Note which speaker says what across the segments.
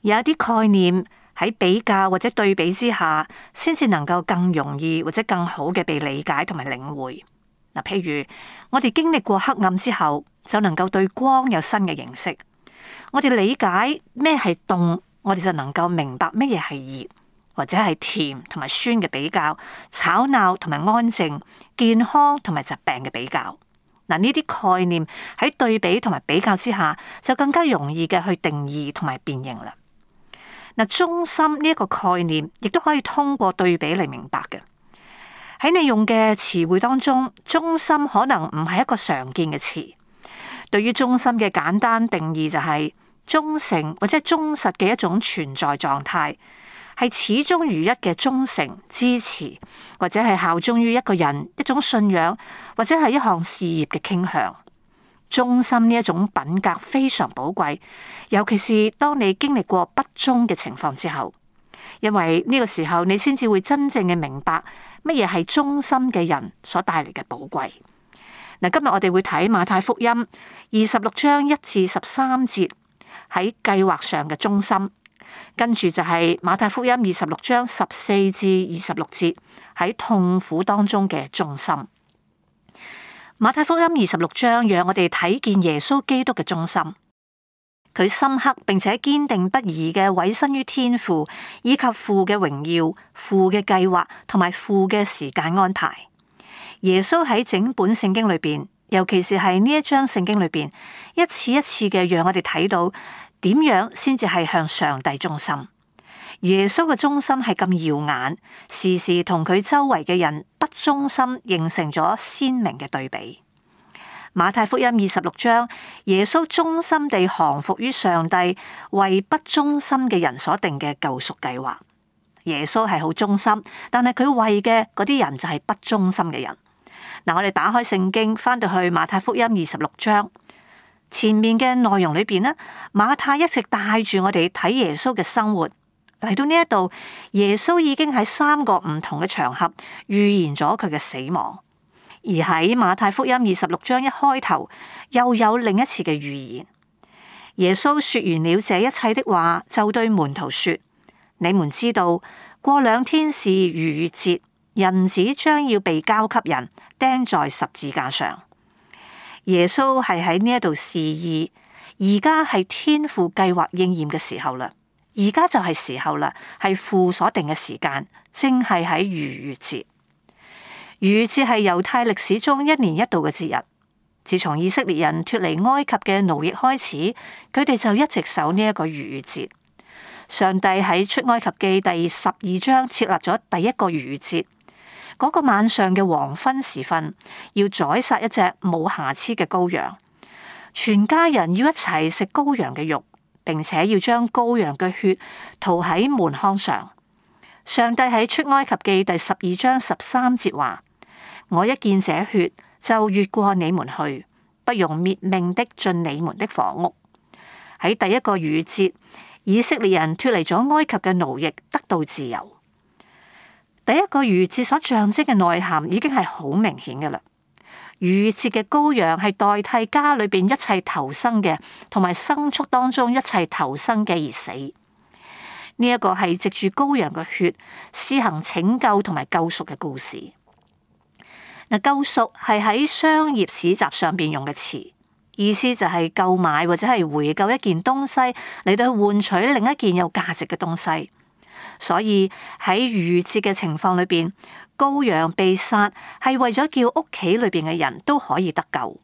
Speaker 1: 有一啲概念喺比較或者對比之下，先至能夠更容易或者更好嘅被理解同埋領會。嗱，譬如我哋經歷過黑暗之後，就能夠對光有新嘅認識。我哋理解咩係凍，我哋就能夠明白咩嘢係熱，或者係甜同埋酸嘅比較，吵鬧同埋安靜，健康同埋疾病嘅比較。嗱，呢啲概念喺對比同埋比較之下，就更加容易嘅去定義同埋辨認啦。嗱，忠心呢一個概念，亦都可以通過對比嚟明白嘅。喺你用嘅詞彙當中，忠心可能唔係一個常見嘅詞。對於忠心嘅簡單定義就係忠誠或者忠實嘅一種存在狀態，係始終如一嘅忠誠支持，或者係效忠於一個人、一種信仰，或者係一項事業嘅傾向。忠心呢一種品格非常寶貴，尤其是當你經歷過不忠嘅情況之後，因為呢個時候你先至會真正嘅明白乜嘢係忠心嘅人所帶嚟嘅寶貴。嗱，今日我哋會睇馬太福音26章1至13節喺計劃上嘅忠心，跟住就係馬太福音26章14至26節喺痛苦當中嘅忠心。馬太福音26章讓我哋睇見耶穌基督嘅忠心，佢深刻並且堅定不移嘅委身於天父以及父嘅榮耀、父嘅計劃同埋父嘅時間安排。耶穌喺整本聖經裏邊，尤其是係呢一章聖經裏邊，一次一次嘅讓我哋睇到點樣先至係向上帝忠心。耶穌嘅忠心係咁耀眼，時時同佢周圍嘅人不忠心形成咗鮮明嘅對比。馬太福音26章，耶穌忠心地降服於上帝為不忠心嘅人所定嘅救贖計劃。耶穌係好忠心，但係佢為嘅嗰啲人就係不忠心嘅人。嗱，我哋打開聖經，翻到去馬太福音26章前面嘅內容裏邊呢，馬太一直帶住我哋睇耶穌嘅生活。嚟到呢一度，耶穌已經喺3個唔同嘅場合預言咗佢嘅死亡，而喺馬太福音26章一開頭又有另一次嘅預言。耶穌說完了這一切的話，就對門徒說：你們知道，過2天是逾越節，人子將要被交給人，釘在十字架上。耶穌係喺呢一度示意，而家係天父計劃應驗嘅時候啦。而家就係時候啦，係父所定嘅時間，正係喺逾越節。逾越節係猶太歷史中1年1度嘅節日。自從以色列人脫離埃及嘅奴役開始，佢哋就一直守呢一個逾越節。上帝喺出埃及記第12章設立咗第一個逾越節。嗰個晚上嘅黃昏時分，要宰殺一隻冇瑕疵嘅羔羊，全家人要一齊食羔羊嘅肉，並且要將羔羊嘅血塗喺門框上。上帝喺出埃及記第12章13節話：我一見這血，就越過你們去，不容滅命的進你們的房屋。喺第一個逾越節，以色列人脫離咗埃及嘅奴役，得到自由。第一個逾越節所象徵嘅內涵已經係好明顯嘅啦。逾越節嘅羔羊係代替家裏邊一切頭生嘅，同埋牲畜當中一切頭生嘅而死。呢一個係藉住羔羊嘅血施行拯救同埋救贖嘅故事。嗱，救贖係喺商業市集上邊用嘅詞，意思就係購買或者係回購一件東西嚟到換取另一件有價值嘅東西。所以喺逾越節嘅情況裏邊，羔羊被殺係為咗叫屋企裏邊嘅人都可以得救。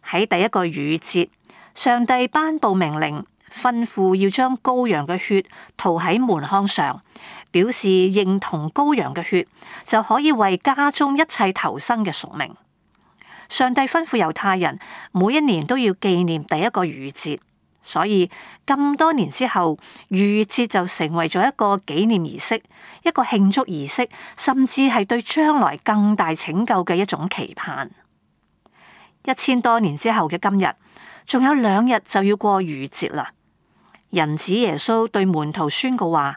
Speaker 1: 喺第一個逾越節，上帝頒布命令，吩咐要將羔羊嘅血塗喺門框上，表示認同羔羊嘅血就可以為家中一切頭生嘅贖命。上帝吩咐猶太人每一年都要紀念第一個逾越節。所以咁多年之後，逾越節就成為咗一個紀念儀式，一個慶祝儀式，甚至係對將來更大拯救嘅一種期盼。1000多年之後嘅今日，仲有2日就要過逾越節啦。人子耶穌對門徒宣告話，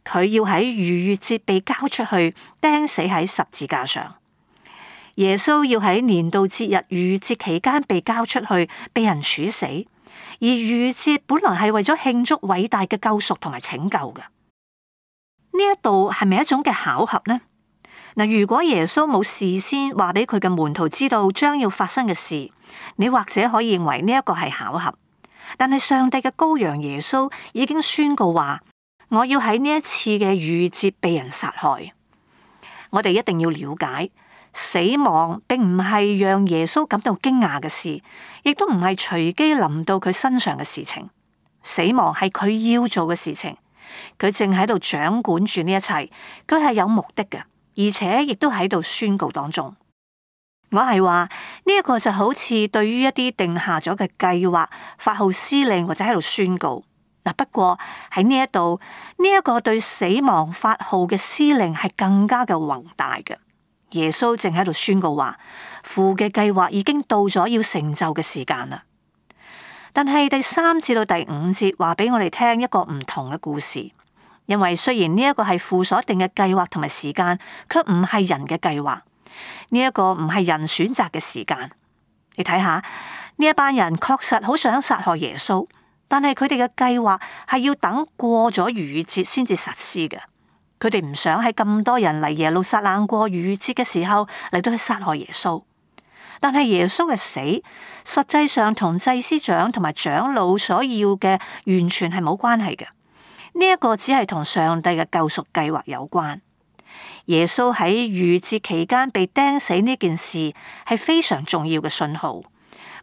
Speaker 1: 佢要喺逾越節被交出去，釘死喺十字架上。耶穌要喺年度節日逾越節期間被交出去，被人處死。而逾節本來係為咗慶祝偉大嘅救贖同埋拯救嘅。呢一度係咪一種嘅巧合呢？嗱，如果耶穌冇事先話俾佢嘅門徒知道將要發生嘅事，你或者可以認為呢一個係巧合。但係上帝嘅羔羊耶穌已經宣告話，我要喺呢一次嘅逾節被人殺害。我哋一定要了解，死亡並唔係讓耶穌感到驚訝嘅事，亦都唔係隨機臨到佢身上嘅事情。死亡係佢要做嘅事情，佢正喺度掌管住呢一切，佢係有目的嘅，而且亦都喺度宣告當中。我係話呢一個就好似對於一啲定下咗嘅計劃發號施令或者喺度宣告。嗱，不過喺呢一度呢一個對死亡發號嘅施令係更加嘅宏大嘅。耶穌正喺度宣告話，父嘅計劃已經到咗要成就嘅時間啦。但係第3至到第5節話俾我哋聽一個唔同嘅故事，因為雖然呢一個係父所定嘅計劃同埋時間，卻唔係人嘅計劃。呢一個唔係人選擇嘅時間。你睇下呢一班人確實好想殺害耶穌，但係佢哋嘅計劃係要等過咗逾節先至實施嘅。佢哋唔想喺咁多人嚟耶路撒冷過逾節嘅時候嚟到去殺害耶穌。但係耶穌嘅死實際上同祭司長同埋長老所要嘅完全係冇關係嘅。呢一個只係同上帝嘅救贖計劃有關。耶穌喺逾節期間被釘死呢件事係非常重要嘅信號，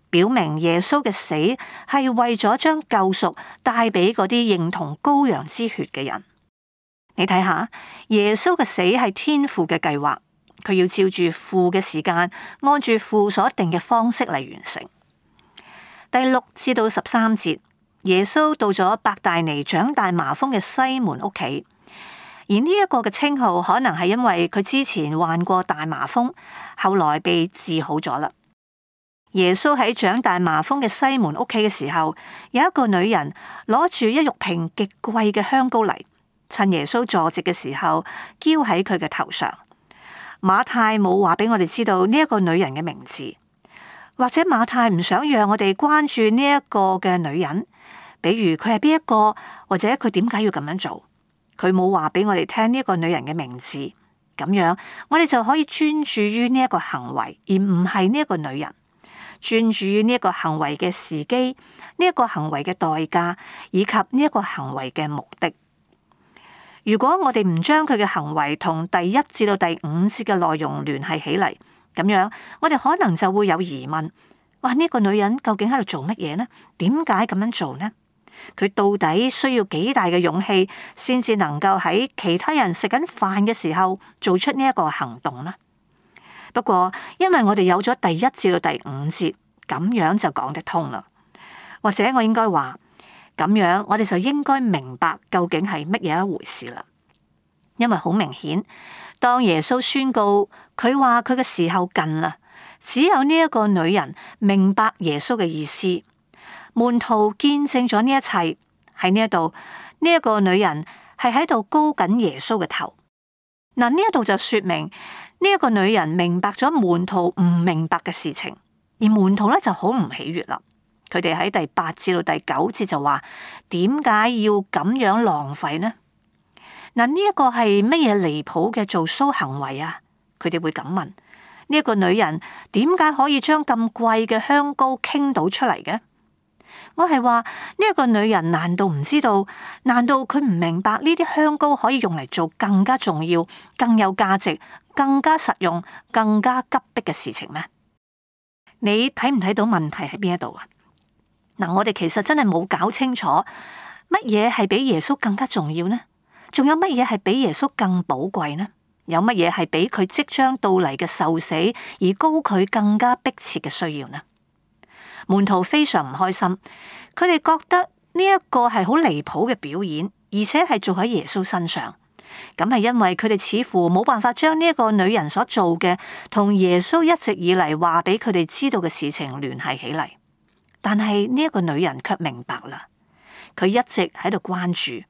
Speaker 1: 表明耶穌嘅死係為咗將救贖帶俾嗰啲認同羔羊之血嘅人。你睇下，耶穌嘅死係天父嘅計劃，佢要照住父嘅時間，按住父所定嘅方式嚟完成。第6至到13節，耶穌到咗伯大尼長大麻風嘅西門屋企。而呢一個嘅稱號可能係因為佢之前患過大麻風，後來被治好咗啦。耶穌喺長大麻風嘅西門屋企嘅時候，有一個女人攞住一玉瓶極貴嘅香膏嚟，趁耶穌坐席嘅時候，澆喺佢嘅頭上。馬太冇話俾我哋知道呢一個女人嘅名字，或者馬太唔想讓我哋關注呢一個嘅女人，比如佢係邊一個，或者佢點解要咁樣做。佢冇話俾我哋聽呢一個女人嘅名字，咁樣我哋就可以專注於呢一個行為，而唔係呢一個女人。專注於呢一個行為嘅時機，呢一個行為嘅代價，以及呢一個行為嘅目的。如果我哋唔將佢嘅行為同第1至到第5節嘅內容聯繫起嚟，咁樣我哋可能就會有疑問：哇，呢個女人究竟喺度做乜嘢呢？點解咁樣做呢？佢到底需要幾大嘅勇氣，先至能夠喺其他人食緊飯嘅時候做出呢一個行動呢？不過，因為我哋有咗第1至到第5節，咁樣就講得通啦。或者我應該話，咁樣我哋就應該明白究竟係乜嘢一回事啦。因為好明顯，當耶穌宣告佢話佢嘅時候近啦，只有呢一個女人明白耶穌嘅意思。門徒見證咗呢一切，喺呢一度，呢一個女人係喺度高緊耶穌嘅頭。嗱，呢一度就說明呢一個女人明白咗門徒唔明白嘅事情，而門徒咧就好唔喜悅啦。佢哋喺第8至到第9節就話：點解要咁樣浪費呢？嗱，呢一個係乜嘢離譜嘅做騷行為啊？佢哋會咁問：呢一個女人點解可以將咁貴嘅香膏傾倒出嚟嘅？我係話呢一個女人難道唔知道？難道佢唔明白呢啲香膏可以用嚟做更加重要、更有價值、更加實用、更加急迫嘅事情咩？你睇唔睇到問題喺邊一度啊？嗱，我哋其實真係冇搞清楚乜嘢係比耶穌更加重要呢？仲有乜嘢係比耶穌更寶貴呢？有乜嘢係比佢即將到嚟嘅受死而高佢更加迫切嘅需要呢？門徒非常唔開心，佢哋覺得呢一個係好離譜嘅表演，而且係做喺耶穌身上。咁係因為佢哋似乎冇辦法將呢一個女人所做嘅同耶穌一直以嚟話俾佢哋知道嘅事情聯繫起嚟。但係呢一個女人卻明白啦，佢一直喺度關注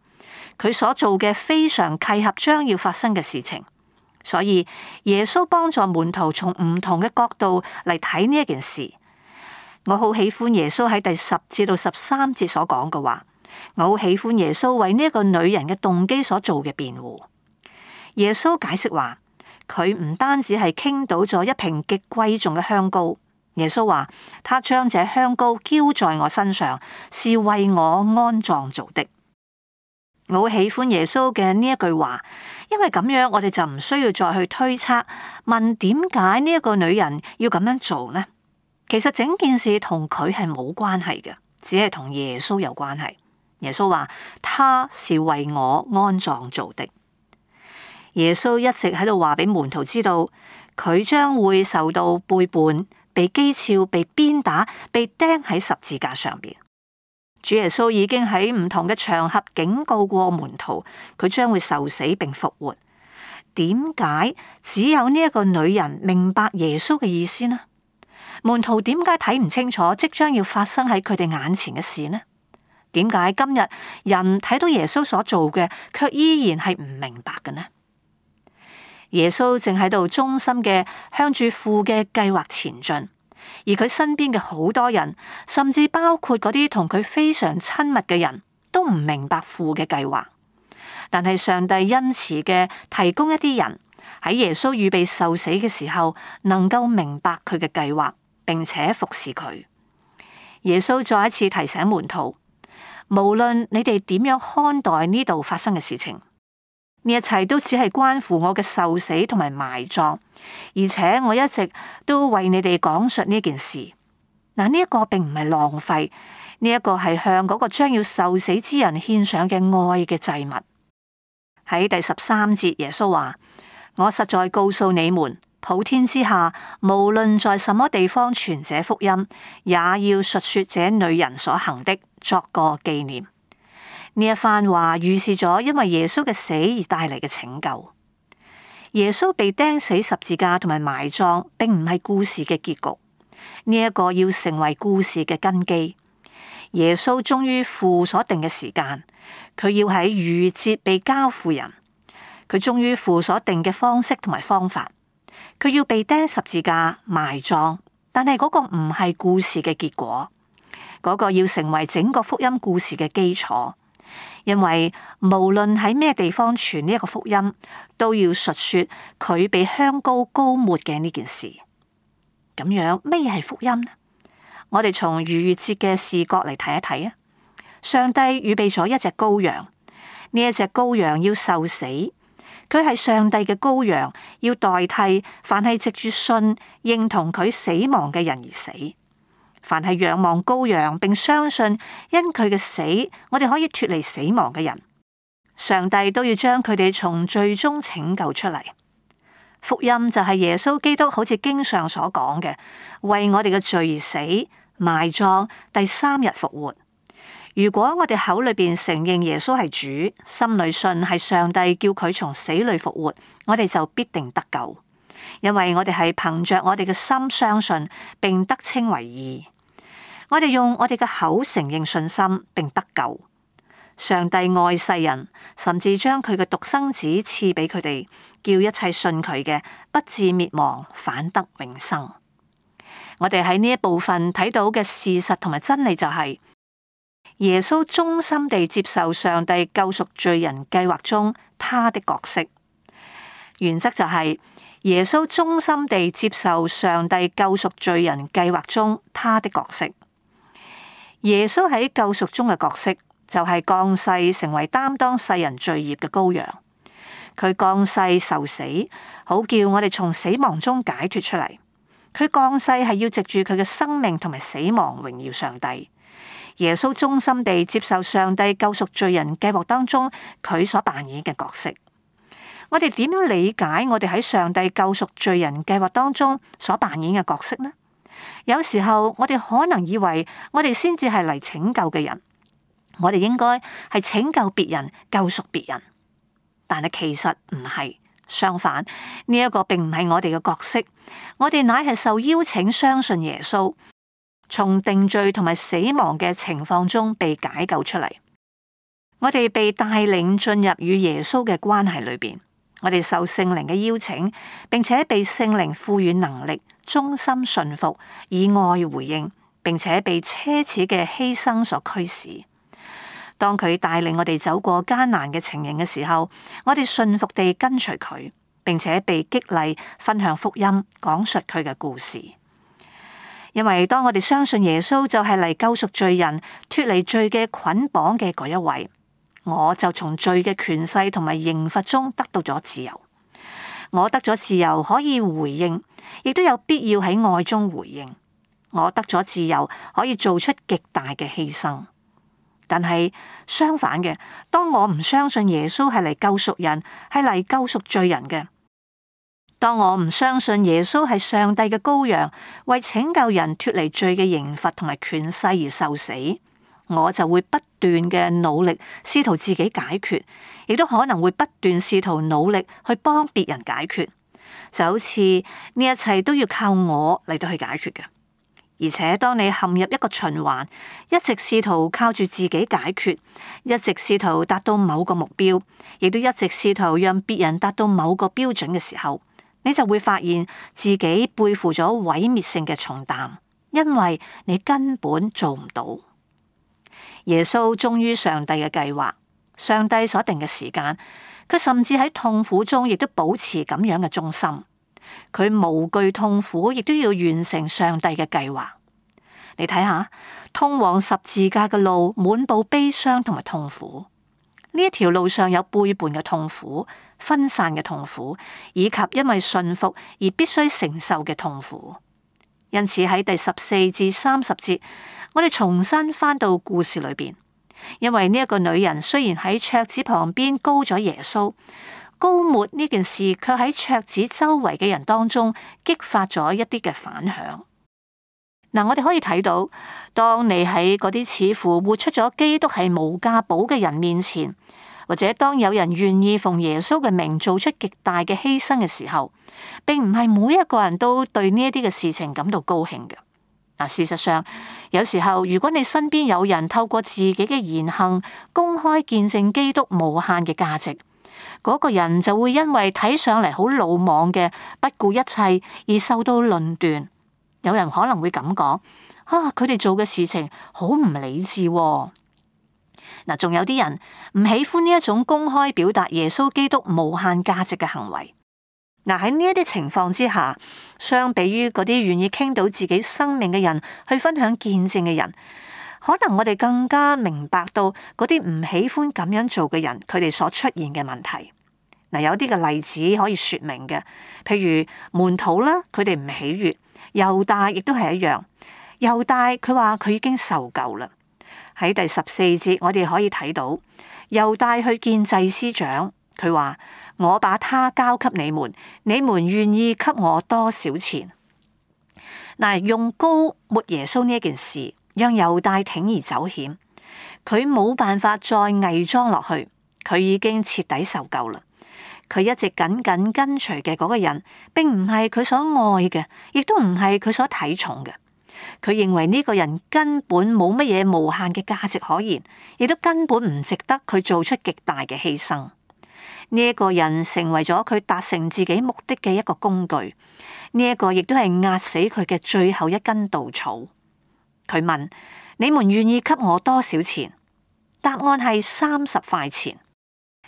Speaker 1: 佢所做嘅非常契合將要發生嘅事情。所以耶穌幫助門徒從唔同嘅角度嚟睇呢一件事。我好喜歡耶穌喺第10至到13節所講嘅話，我好喜歡耶穌為呢一個女人嘅動機所做嘅辯護。耶穌解釋話，佢唔單止係傾倒咗一瓶極貴重嘅香膏，耶穌話他將這香膏澆在我身上，是為我安葬做的。我好喜歡耶穌嘅呢一句話，因為咁樣我哋就唔需要再去推測，問點解呢一個女人要咁樣做呢？其實整件事同佢係冇關係嘅，只係同耶穌有關係。耶穌話他是為我安葬做的。耶穌一直喺度話俾門徒知道，佢將會受到背叛、被譏誚、被鞭打、被釘喺十字架上邊。主耶穌已經喺唔同嘅場合警告過門徒，佢將會受死並復活。點解只有呢一個女人明白耶穌嘅意思呢？門徒點解睇唔清楚即將要發生喺佢哋眼前嘅事呢？點解今日人睇到耶穌所做嘅，卻依然係唔明白嘅呢？耶穌正喺度忠心嘅向住父嘅計劃前進，而佢身邊嘅好多人，甚至包括嗰啲同佢非常親密嘅人都唔明白父嘅計劃。但係上帝恩慈嘅提供一啲人喺耶穌預備受死嘅時候，能夠明白佢嘅計劃，並且服侍佢。耶穌再一次提醒門徒，無論你哋點樣看待呢度發生嘅事情，呢一切都只係關乎我嘅受死同埋埋葬，而且我一直都為你哋講述呢件事。嗱，呢一個並唔係浪費，呢一個係向嗰個將要受死之人獻上嘅愛嘅祭物。喺第13節，耶穌話：我實在告訴你們，普天之下，無論在什麼地方傳這福音，也要述說這女人所行的，作個紀念。呢一番話預示咗因為耶穌嘅死而帶嚟嘅拯救。耶穌被釘死十字架同埋埋葬，並唔係故事嘅結局。呢一個要成為故事嘅根基。耶穌終於父所定嘅時間，佢要喺逾越節被交付人。佢終於父所定嘅方式同埋方法，佢要被釘十字架埋葬。但係嗰個唔係故事嘅結果，嗰個要成為整個福音故事嘅基礎。因為無論喺咩地方傳呢一個福音，都要述說佢被香膏膏抹嘅呢件事。咁樣咩嘢係福音呢？我哋從逾越節嘅視角嚟睇一睇啊！上帝預備咗一隻羔羊，呢一隻羔羊要受死，佢係上帝嘅羔羊，要代替凡係藉住信認同佢死亡嘅人而死。凡係仰望羔羊並相信因佢嘅死，我哋可以脫離死亡嘅人，上帝都要將佢哋從罪中拯救出嚟。福音就係耶穌基督好似經上所講嘅，為我哋嘅罪而死、埋葬，第3日復活。如果我哋口裏邊承認耶穌係主，心裏信係上帝叫佢從死裏復活，我哋就必定得救，因為我哋係憑着我哋嘅心相信，並得稱為義。我哋用我哋嘅口承認信心，並得救。上帝愛世人，甚至將佢嘅獨生子賜俾佢哋，叫一切信佢嘅不致滅亡，反得永生。我哋喺呢一部分睇到嘅事實同埋真理就係，耶穌忠心地接受上帝救贖罪人計劃中他的角色。原則就係耶穌忠心地接受上帝救贖罪人計劃中他的角色。耶穌喺救贖中嘅角色就係降世成為擔當世人罪孽嘅羔羊。佢降世受死，好叫我哋從死亡中解脫出嚟。佢降世係要藉住佢嘅生命同埋死亡榮耀上帝。耶穌忠心地接受上帝救贖罪人計劃當中佢所扮演嘅角色。我哋點樣理解我哋喺上帝救贖罪人計劃當中所扮演嘅角色呢？有時候我哋可能以為我哋先至係嚟拯救嘅人，我哋應該係拯救別人、救贖別人，但係其實唔係，相反，呢一個並唔係我哋嘅角色，我哋乃係受邀請相信耶穌，從定罪同埋死亡嘅情況中被解救出嚟。我哋被帶領進入與耶穌嘅關係裏邊，我哋受聖靈嘅邀請，並且被聖靈賦予能力，忠心順服，以愛回應，並且被奢侈嘅犧牲所驅使。當佢帶領我哋走過艱難嘅情形嘅時候，我哋信服地跟隨佢，並且被激勵分享福音，講述佢嘅故事。因為當我哋相信耶穌就係嚟救贖罪人、脫離罪嘅捆綁嘅嗰一位，我就從罪嘅權勢同埋刑罰中得到咗自由。我得咗自由，可以回應，亦都有必要喺愛中回應。我得咗自由，可以做出極大嘅犧牲。但係相反嘅，當我唔相信耶穌係嚟救贖人，係嚟救贖罪人嘅，當我唔相信耶穌係上帝嘅羔羊，為拯救人脫離罪嘅刑罰同埋權勢而受死，我就會不斷嘅努力試圖自己解決，亦都可能會不斷試圖努力去幫別人解決，就好似呢一切都要靠我嚟到去解決嘅。而且當你陷入一個循環，一直試圖靠住自己解決，一直試圖達到某個目標，亦都一直試圖讓別人達到某個標準嘅時候，你就會發現自己背負咗毀滅性嘅重擔，因為你根本做唔到。耶穌忠於上帝嘅計劃，上帝所定嘅時間，佢甚至喺痛苦中亦都保持咁樣嘅忠心。佢無懼痛苦，亦都要完成上帝嘅計劃。你睇下，通往十字架嘅路滿布悲傷同埋痛苦。呢一條路上有背叛嘅痛苦、分散嘅痛苦，以及因為信服而必須承受嘅痛苦。因此喺第14至30節，我哋重新返到故事裏邊，因為呢一個女人雖然喺桌子旁邊膏咗耶穌，膏抹呢件事卻喺桌子周圍嘅人當中激發咗一啲嘅反響。嗱，我哋可以睇到，當你喺嗰啲似乎活出咗基督係無價寶嘅人面前，或者當有人願意奉耶穌嘅名做出極大嘅犧牲嘅時候，並唔係每一個人都對呢一啲嘅事情感到高興嘅。嗱，事實上，有時候如果你身邊有人透過自己嘅言行公開見證基督無限嘅價值，嗰個人就會因為睇上嚟好魯莽嘅不顧一切而受到論斷。有人可能會咁講：佢哋做嘅事情好唔理智喎。嗱，仲有啲人唔喜歡呢一種公開表達耶穌基督無限價值嘅行為。嗱，喺呢一啲情況之下，相比於嗰啲願意傾到自己生命嘅人去分享見證嘅人，可能我哋更加明白到嗰啲唔喜歡咁樣做嘅人，佢哋所出現嘅問題。嗱，有啲嘅例子可以說明嘅，譬如門徒啦，佢哋唔喜悅；猶大亦都係一樣。猶大佢話佢已經受夠啦。喺第14節，我哋可以睇到猶大去見祭司長，佢話：我把他交給你們，你們願意給我多少錢？嗱，用膏抹耶穌呢一件事，讓猶大鋌而走險，佢冇辦法再偽裝落去，佢已經徹底受夠啦。佢一直緊緊跟隨嘅嗰個人，並唔係佢所愛嘅，亦都唔係佢所睇重嘅。佢認為呢個人根本冇乜嘢無限嘅價值可言，亦都根本唔值得佢做出極大嘅犧牲。呢一個人成為咗佢達成自己目的嘅一個工具，呢一個亦都係壓死佢嘅最後一根稻草。佢問：你們願意給我多少錢？答案係30塊錢。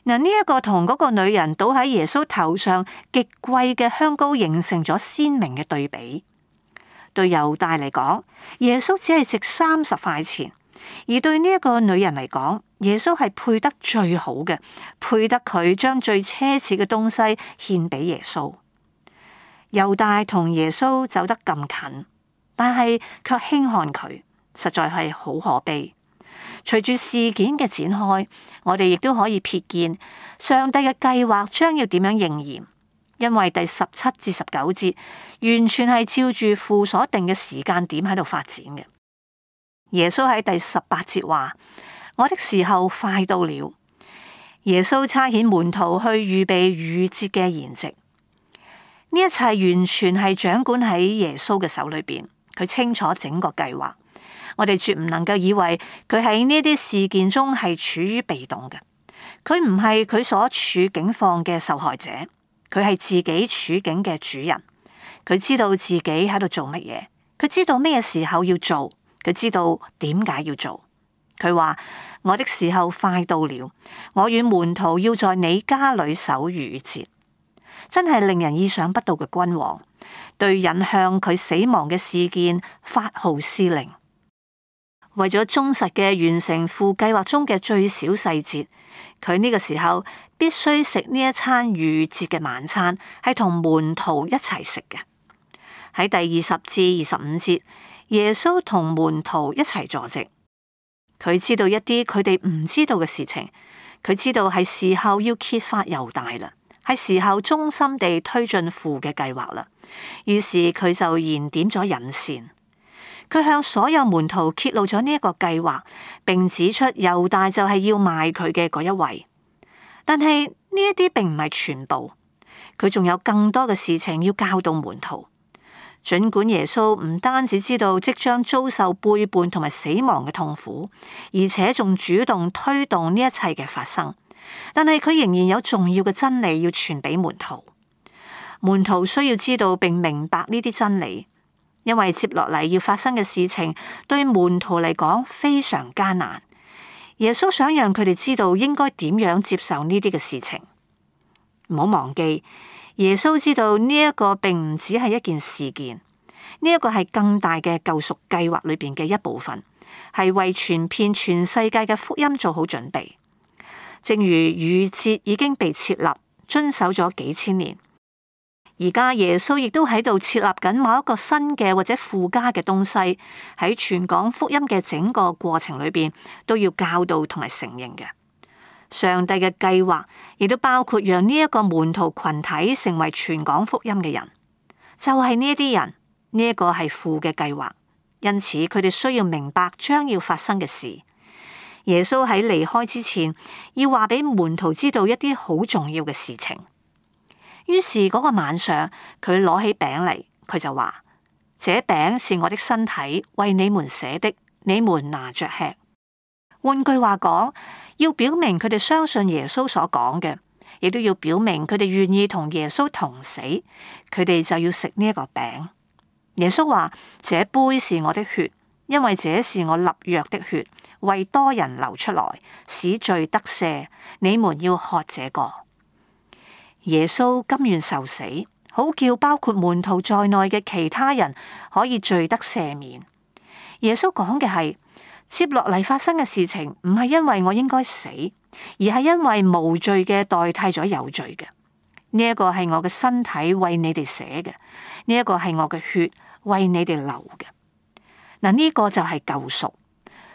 Speaker 1: 嗱，呢一個同嗰個女人倒喺耶穌頭上極貴嘅香膏形成咗鮮明嘅對比。對猶大嚟講，耶穌只係值30塊錢；而對呢一個女人嚟講，耶穌係配得最好嘅，配得佢將最奢侈嘅東西獻俾耶穌。猶大同耶穌走得咁近，但係卻輕看佢，實在係好可悲。隨住事件嘅展開，我哋亦都可以瞥見上帝嘅計劃將要點樣應驗，因為第17至19節完全係照住父所定嘅時間點喺度發展嘅。耶穌喺第18節話：我的時候快到了。耶穌差遣門徒去預備逾節嘅筵席，呢一切完全係掌管喺耶穌嘅手裏邊，佢清楚整個計劃。我哋絕唔能夠以為佢喺呢啲事件中係處於被動嘅，佢唔係佢所處境況嘅受害者，佢係自己處境嘅主人。佢知道自己喺度做乜嘢，佢知道咩時候要做，佢知道點解要做。佢話：我的時候快到了，我與門徒要在你家裏守逾越節。真係令人意想不到嘅君王，對引向佢死亡嘅事件發號施令。為咗忠實嘅完成父計劃中嘅最小細節，佢呢個時候必須食呢一餐逾越節嘅晚餐，係同門徒一齊食嘅。喺第20至25節，耶穌同門徒一齊坐席。佢知道一啲佢哋唔知道嘅事情，佢知道係時候要揭發猶大啦，係時候忠心地推進父嘅計劃啦。於是佢就燃點咗引線，佢向所有門徒揭露咗呢一個計劃，並指出猶大就係要賣佢嘅嗰一位。但係呢一啲並唔係全部，佢仲有更多嘅事情要教導門徒。儘管耶穌唔單止知道即將遭受背叛同埋死亡嘅痛苦，而且仲主動推動呢一切嘅發生，但係佢仍然有重要嘅真理要傳俾門徒。門徒需要知道並明白呢啲真理，因為接落嚟要發生嘅事情對門徒嚟講非常艱難。耶穌想讓佢哋知道應該點樣接受呢啲嘅事情。唔好忘記，耶穌知道呢一個並唔只係一件事件，呢一個係更大嘅救贖計劃裏邊嘅一部分，係為傳遍全世界嘅福音做好準備。正如逾越節已經被設立，遵守咗幾千年，而家耶穌亦都喺度設立緊某一個新嘅或者附加嘅東西，喺傳講福音嘅整個過程裏邊都要教導同埋承認嘅。上帝嘅計劃亦都包括讓呢一個門徒群體成為傳講福音嘅人，就係呢一啲人，呢一個係父嘅計劃，因此佢哋需要明白將要發生嘅事。耶穌喺離開之前，要話俾門徒知道一啲好重要嘅事情。於是嗰個晚上，佢攞起餅嚟，佢就話：這餅是我的身體，為你們捨的，你們拿着吃。換句話講，要表明佢哋相信耶穌所講嘅，亦都要表明佢哋願意同耶穌同死，佢哋就要食呢一個餅。耶穌話：這杯是我的血，因為這是我立約的血，為多人流出來，使罪得赦。你們要喝這個。耶穌甘願受死，好叫包括門徒在內嘅其他人可以罪得赦免。耶穌講嘅係，接落嚟發生嘅事情唔係因為我應該死，而係因為無罪嘅代替咗有罪嘅。呢一個係我嘅身體為你哋捨嘅，呢一個係我嘅血為你哋流嘅。嗱，呢個就係救贖。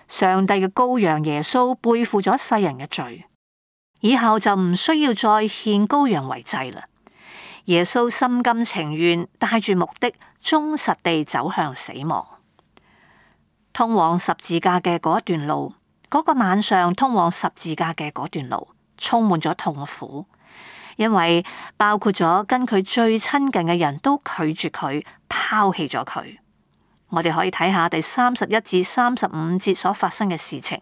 Speaker 1: 上帝嘅羔羊耶穌背負咗世人嘅罪，以後就唔需要再獻羔羊為祭啦。耶穌心甘情願，帶住目的，忠實地走向死亡。通往十字架嘅嗰一段路，嗰個晚上通往十字架嘅嗰段路，充滿咗痛苦，因為包括咗跟佢最親近嘅人都拒絕佢，拋棄咗佢。我哋可以睇下第31至35節所發生嘅事情。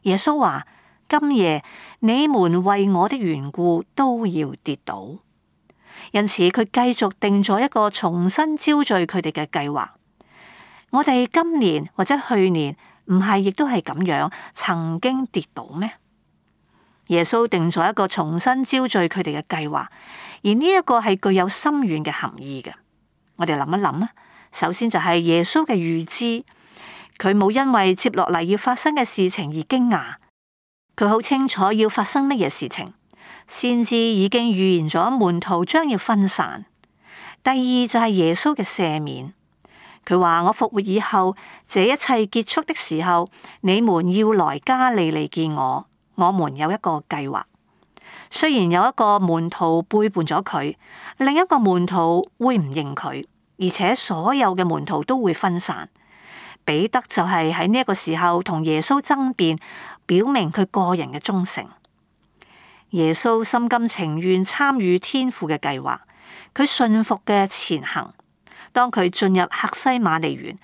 Speaker 1: 耶穌話：今夜你們為我的緣故都要跌倒。因此佢繼續定咗一個重新招聚佢哋嘅計劃。我哋今年或者去年唔係亦都係咁樣曾經跌倒咩？耶穌定咗一個重新招聚佢哋嘅計劃，而呢一個係具有深遠嘅含義嘅。我哋諗一諗啊，首先就係耶穌嘅預知，佢冇因為接落嚟要發生嘅事情而驚訝，佢好清楚要發生乜嘢事情，先知已經預言咗門徒將要分散。第二就係耶穌嘅赦免。佢話：我復活以後，這一切結束的時候，你們要來加利利見我。我們有一個計劃。雖然有一個門徒背叛咗佢，另一個門徒會唔認佢，而且所有嘅門徒都會分散。彼得就係喺呢一個時候同耶穌爭辯，表明佢個人嘅忠誠。耶穌心甘情願參與天父嘅計劃，佢信服嘅前行。當佢進入客西馬尼園，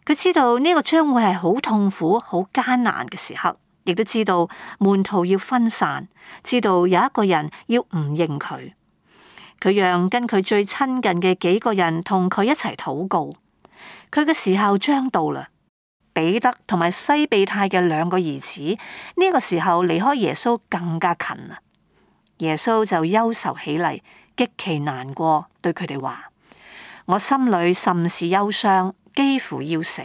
Speaker 1: 佢知道呢個將會係好痛苦、好艱難嘅時刻，亦都知道門徒要分散，知道有一個人要唔認佢。佢讓跟佢最親近嘅幾個人同佢一齊禱告。佢嘅時候將到啦，彼得同埋西庇太嘅兩個兒子，呢個時候離開耶穌更加近啦。耶穌就憂愁起嚟，極其難過，對佢哋話：我心裏甚是憂傷，幾乎要死。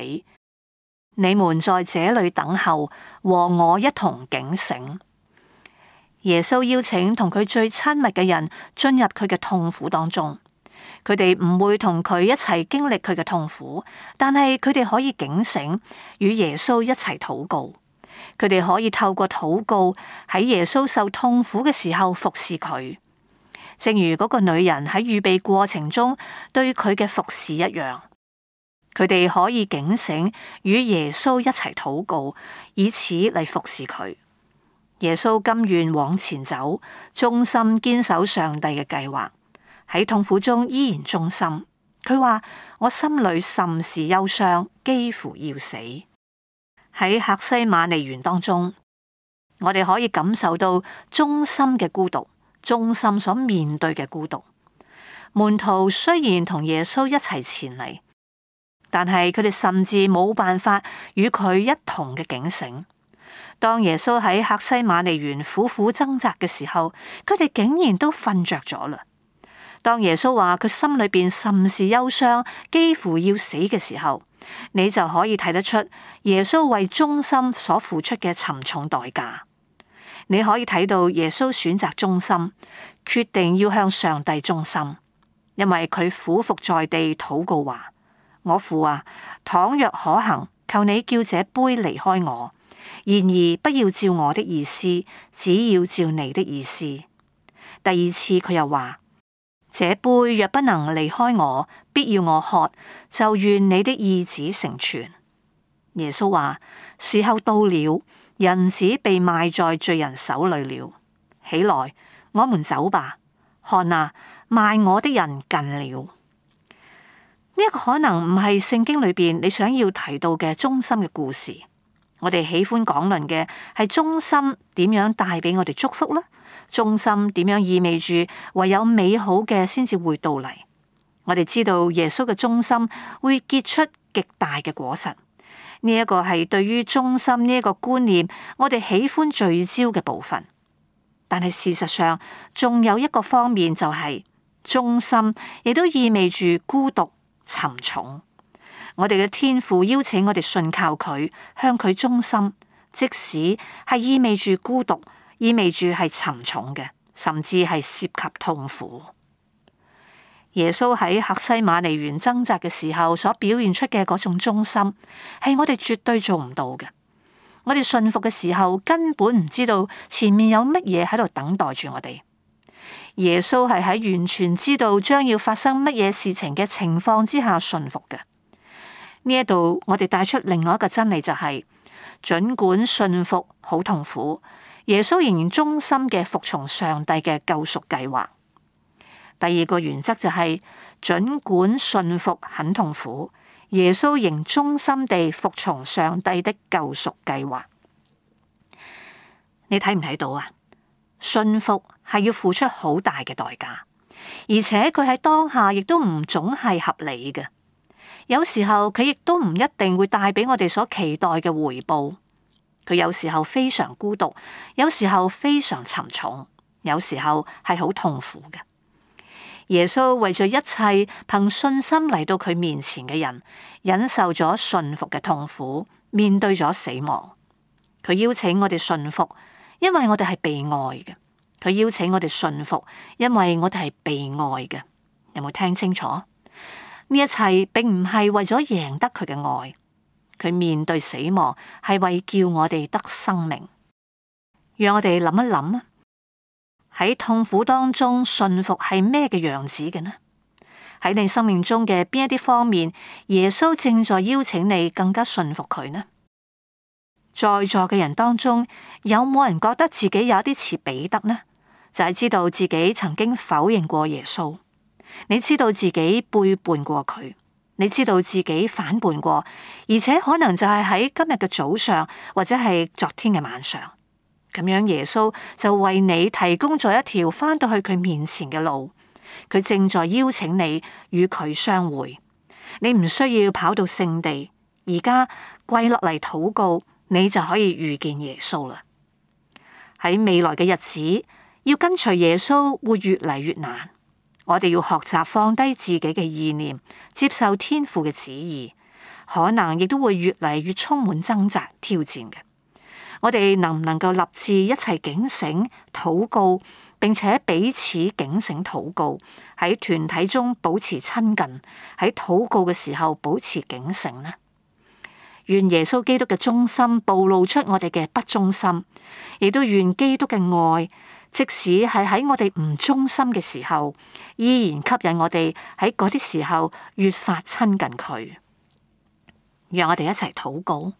Speaker 1: 你們在這裏等候，和我一同警醒。耶穌邀請同佢最親密嘅人進入佢嘅痛苦當中，佢哋唔會同佢一齊經歷佢嘅痛苦，但係佢哋可以警醒，與耶穌一齊禱告。佢哋可以透過禱告喺耶穌受痛苦嘅時候服侍佢，正如嗰個女人喺預備過程中對佢嘅服侍一樣。佢哋可以警醒，與耶穌一齊禱告，以此嚟服侍佢。耶穌甘願往前走，忠心堅守上帝嘅計劃，喺痛苦中依然忠心。佢話：我心裏甚是憂傷，幾乎要死。喺客西馬尼園當中，我哋可以感受到忠心嘅孤獨，忠心所面對嘅孤獨。門徒雖然同耶穌一齊前嚟，但係佢哋甚至冇辦法與佢一同嘅警醒。當耶穌喺客西馬尼園苦苦掙扎嘅時候，佢哋竟然都瞓着咗啦。當耶穌話佢心裏邊甚是憂傷，幾乎要死嘅時候，你就可以睇得出耶穌為忠心所付出嘅沉重代價。你可以睇到耶穌選擇忠心，決定要向上帝忠心，因為佢俯伏在地禱告話：我父啊，倘若可行，求你叫這杯離開我，然而不要照我的意思，只要照你的意思。第二次佢又話：這杯若不能離開我，必要我喝，就願你的意旨成全。耶穌話：時候到了，人子被賣在罪人手裏了。起來，我們走吧。看啊，賣我的人近了。呢一個可能唔係聖經裏邊你想要提到嘅忠心嘅故事。我哋喜歡講論嘅係忠心點樣帶俾我哋祝福啦，忠心點樣意味住唯有美好嘅先至會到嚟。我哋知道耶穌嘅忠心會結出極大嘅果實。呢一個係對於忠心呢一個觀念，我哋喜歡聚焦嘅部分。但係事實上，仲有一個方面就係忠心，亦都意味住孤獨沉重。我哋嘅天父邀請我哋信靠佢，向佢忠心，即使係意味住孤獨，意味住係沉重嘅，甚至係涉及痛苦。耶穌喺客西馬尼園掙扎嘅時候所表現出嘅嗰種忠心，係我哋絕對做唔到嘅。我哋信服嘅時候，根本唔知道前面有乜嘢喺度等待住我哋。耶穌係喺完全知道將要發生乜嘢事情嘅情況之下信服嘅。呢一度我哋帶出另外一個真理，就係盡管信服好痛苦，耶穌仍然忠心嘅服從上帝嘅救贖計劃。第二個原則就係盡管信服很痛苦，耶穌仍忠心地服從上帝的救贖計劃。你睇唔睇到啊？信服係要付出好大嘅代價，而且佢喺當下亦都唔總係合理嘅。有時候佢亦都唔一定會帶俾我哋所期待嘅回報。佢有時候非常孤獨，有時候非常沉重，有時候係好痛苦嘅。耶穌為咗一切憑信心嚟到佢面前嘅人，忍受咗順服嘅痛苦，面對咗死亡。佢邀請我哋順服，因為我哋係被愛嘅。佢邀請我哋順服，因為我哋係被愛嘅。有冇聽清楚？呢一切並唔係為咗贏得佢嘅愛，佢面對死亡係為叫我哋得生命。讓我哋諗一諗啊，喺痛苦當中順服係咩嘅樣子嘅呢？喺你生命中嘅邊一啲方面，耶穌正在邀請你更加順服佢呢？在座嘅人當中，有冇人覺得自己有一啲似彼得呢？就係知道自己曾經否認過耶穌。你知道自己背叛過佢，你知道自己反叛過，而且可能就係喺今日嘅早上，或者係昨天嘅晚上，咁樣耶穌就為你提供咗一條返到去佢面前嘅路。佢正在邀請你與佢相會，你唔需要跑到聖地，而家跪落嚟禱告，你就可以遇見耶穌啦。喺未來嘅日子，要跟隨耶穌會越嚟越難。我哋要學習放低自己嘅意念，接受天父嘅旨意，可能亦都會越嚟越充滿掙扎挑戰嘅。我哋能唔能夠立志一齊警醒禱告，並且彼此警醒禱告，喺團體中保持親近，喺禱告嘅時候保持警醒呢？願耶穌基督嘅忠心暴露出我哋嘅不忠心，亦都願基督嘅愛，即使係喺我哋唔忠心嘅時候，依然吸引我哋喺嗰啲時候越發親近佢。讓我哋一齊禱告。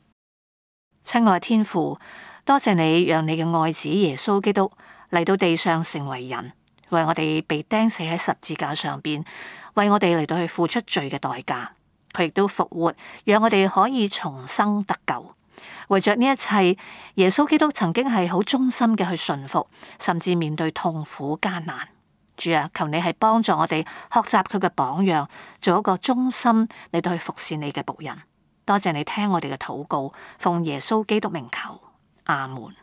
Speaker 1: 親愛天父，多謝你讓你嘅愛子耶穌基督嚟到地上成為人，為我哋被釘死喺十字架上邊，為我哋嚟到去付出罪嘅代價。佢亦都復活，讓我哋可以重生得救。為着呢一切，耶穌基督曾經係好忠心嘅去順服，甚至面對痛苦艱難。主啊，求你係幫助我哋學習佢嘅榜樣，做一個忠心嚟到去服侍你嘅僕人。多謝你聽我哋嘅禱告，奉耶穌基督名求，阿門。